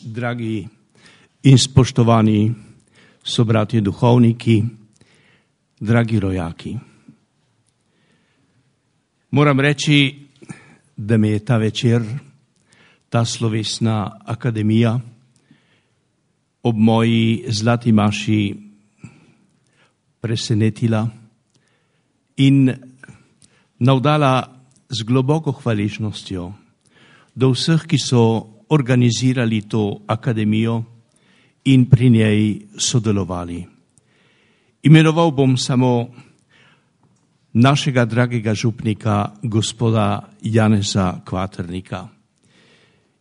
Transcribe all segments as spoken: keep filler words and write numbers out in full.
Dragi in spoštovani sobratje duhovniki, dragi rojaki. Moram reči, da me je ta večer, ta slovesna akademija ob moji zlati maši presenetila in navdala z globoko hvaležnostjo do vseh, ki so organizirali to akademijo in pri njej sodelovali. Imenoval bom samo našega dragega župnika, gospoda Janeza Kvaternika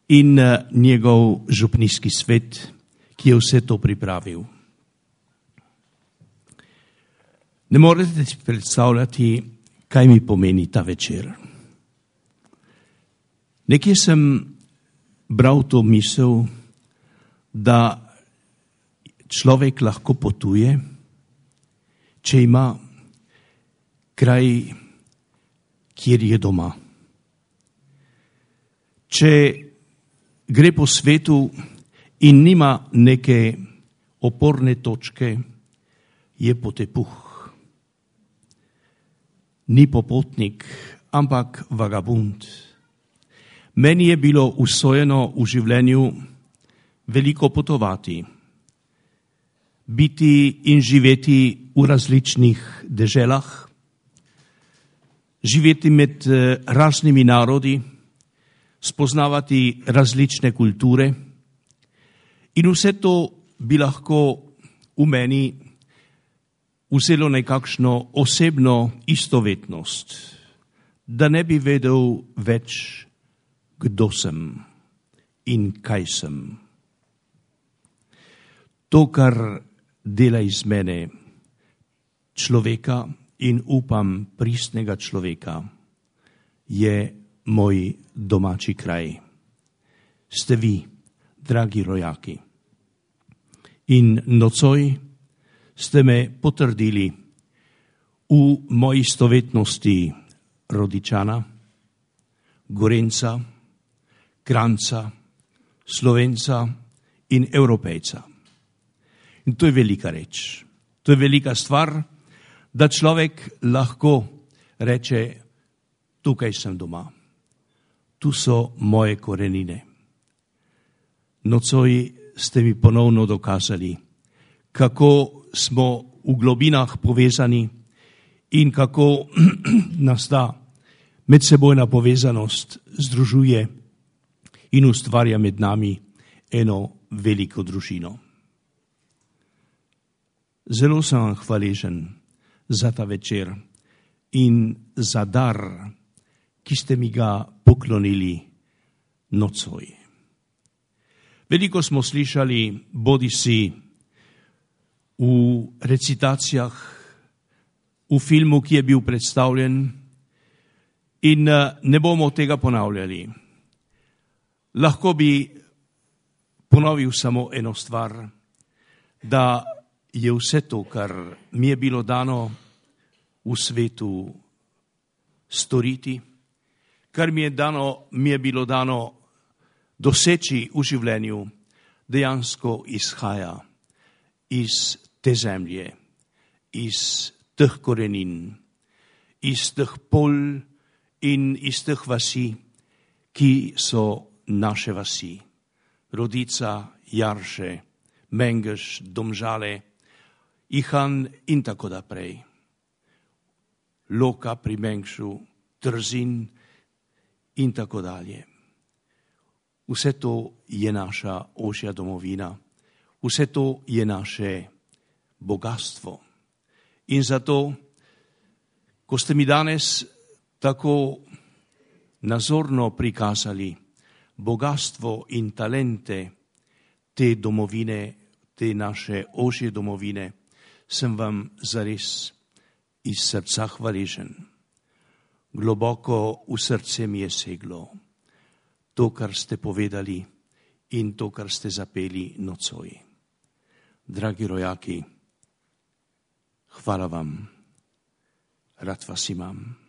in njegov župnijski svet, ki je vse to pripravil. Ne morete si predstavljati, kaj mi pomeni ta večer. Nekje sem bral to misel, da človek lahko potuje, če ima kraj, kjer je doma. Če gre po svetu in nima neke oporne točke, je potepuh. Ni popotnik, ampak vagabund. Meni je bilo usojeno v življenju veliko potovati, biti in živeti v različnih deželah, živeti med raznimi narodi, spoznavati različne kulture in vse to bi lahko v meni vzelo nekakšno osebno istovetnost, da ne bi vedel več, kdo sem in kaj sem. To, kar dela iz mene človeka in upam pristnega človeka, je moj domači kraj. Ste vi, dragi rojaki. In nocoj ste me potrdili v moji istovetnosti Rodičana, Gorenca, Kranjca, Slovenca in Evropejca. In to je velika reč. To je velika stvar, da človek lahko reče, tukaj sem doma. Tu so moje korenine. Nocoj ste mi ponovno dokazali, kako smo v globinah povezani in kako nas ta medsebojna povezanost združuje in ustvarja med nami eno veliko družino. Zelo sem vam hvaležen za ta večer in za dar, ki ste mi ga poklonili nocoj. Veliko smo slišali bodisi v recitacijah, v filmu, ki je bil predstavljen, in ne bomo tega ponavljali. Lahko bi ponovil samo eno stvar, da je vse to, kar mi je bilo dano v svetu storiti, kar mi je, dano, mi je bilo dano doseči v življenju, dejansko izhaja iz te zemlje, iz teh korenin, iz teh pol in iz teh vasi, ki so naše vasi. Rodica, Jarše, Mengeš, Domžale, Ihan in tako naprej. Loka pri Mengšu, Trzin in tako dalje. Vse to je naša ožja domovina. Vse to je naše bogatstvo. In zato, ko ste mi danes tako nazorno prikazali bogatstvo in talente te domovine, te naše ožje domovine, sem vam zares iz srca hvaležen. Globoko v srce mi je seglo to, kar ste povedali in to, kar ste zapeli nocoj. Dragi rojaki, hvala vam, rad vas imam.